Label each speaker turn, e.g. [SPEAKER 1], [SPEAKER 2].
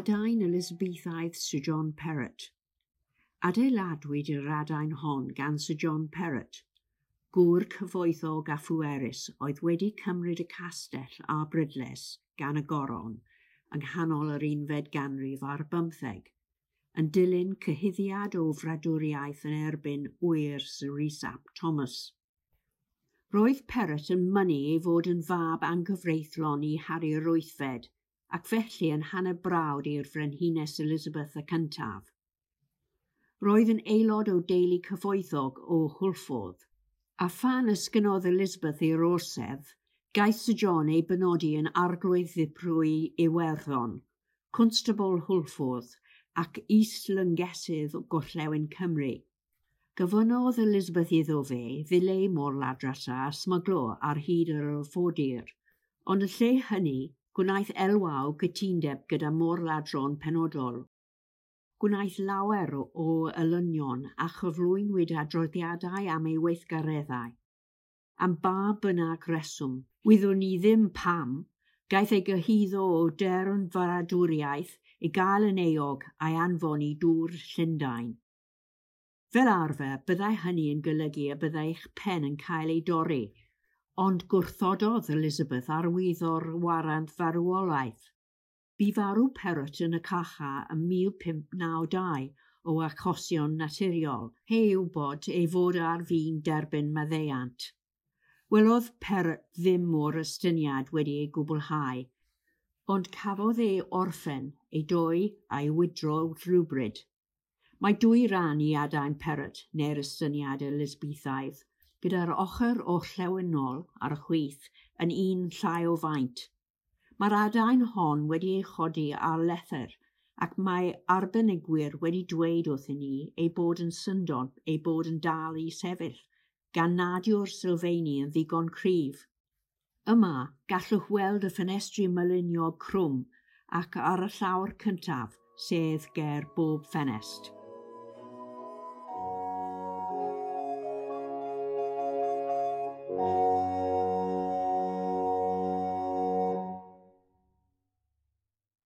[SPEAKER 1] Adain Elizabethaidd Sir John Perrott. Adeiladwyd yr adain hon gan Sir John Perrott, gŵr cyfoethog a phwerus oedd wedi cymryd y castell a brydles gan y goron yng nghanol yr unfed ganrif ar bymtheg, yn dilyn cyhuddiad o fradwriaeth yn erbyn ŵyr Sir Rhys ap Thomas. Roedd Perrott yn mynnu ei fod yn fab anghyfreithlon i Harri'r Wythfed, ac felly yn hanner brawd i'r Frenhines Elizabeth y Cyntaf. Roedd yn aelod o deulu cyfoethog o Hwlffordd, a phan esgynodd Elizabeth i'r orsedd, gaeth Sir John ei benodi yn arglwydd ddiprwy Iwerddon, Constable Hwlffordd ac is-lyngesydd Gorllewin Cymru. Gofynnodd Elizabeth iddo fe ddileu môr-ladrata a smyglo ar hyd yr arfordir, ond yn lle hynny gwnaeth elwa o gytundeb gyda môr-ladron penodol. Gwnaeth lawer o elynion a chyflwynwyd adroddiadau am ei weithgareddau. Am ba bynnag reswm, wyddwn ni ddim pam, gaeth ei gyhuddo o deyrnfradwriaeth i gael yn euog a'i anfon i Dŵr Llundain. Fel arfer, byddai hynny yn golygu y byddai eich pen yn cael ei dorri, ond gwrthododd Elizabeth arwyddo'r warant farwolaeth. Bu farw Perrott yn y carchar ym 1592 o achosion naturiol, heb wybod ei fod ar fin derbyn maddeuant. Welodd Perrott ddim o'r estyniad wedi ei gwblhau, ond cafodd ei orffen, ei doi a'i wydro rhywbryd. Mae dwy ran i adain Perrott neu'r estyniad Elizabethaidd, gyda'r ochr orllewinol ar y chwith yn un llai o faint. Mae'r adain hon wedi ei chodi ar lethr ac mae arbenigwyr wedi dweud wrthyn ni ei bod yn syndod ei bod yn dal i sefyll, gan nad yw'r sylfeini yn ddigon cryf. Yma, gallwch weld y ffenestri myluniog crwm ac ar y llawr cyntaf, sedd ger bob ffenest.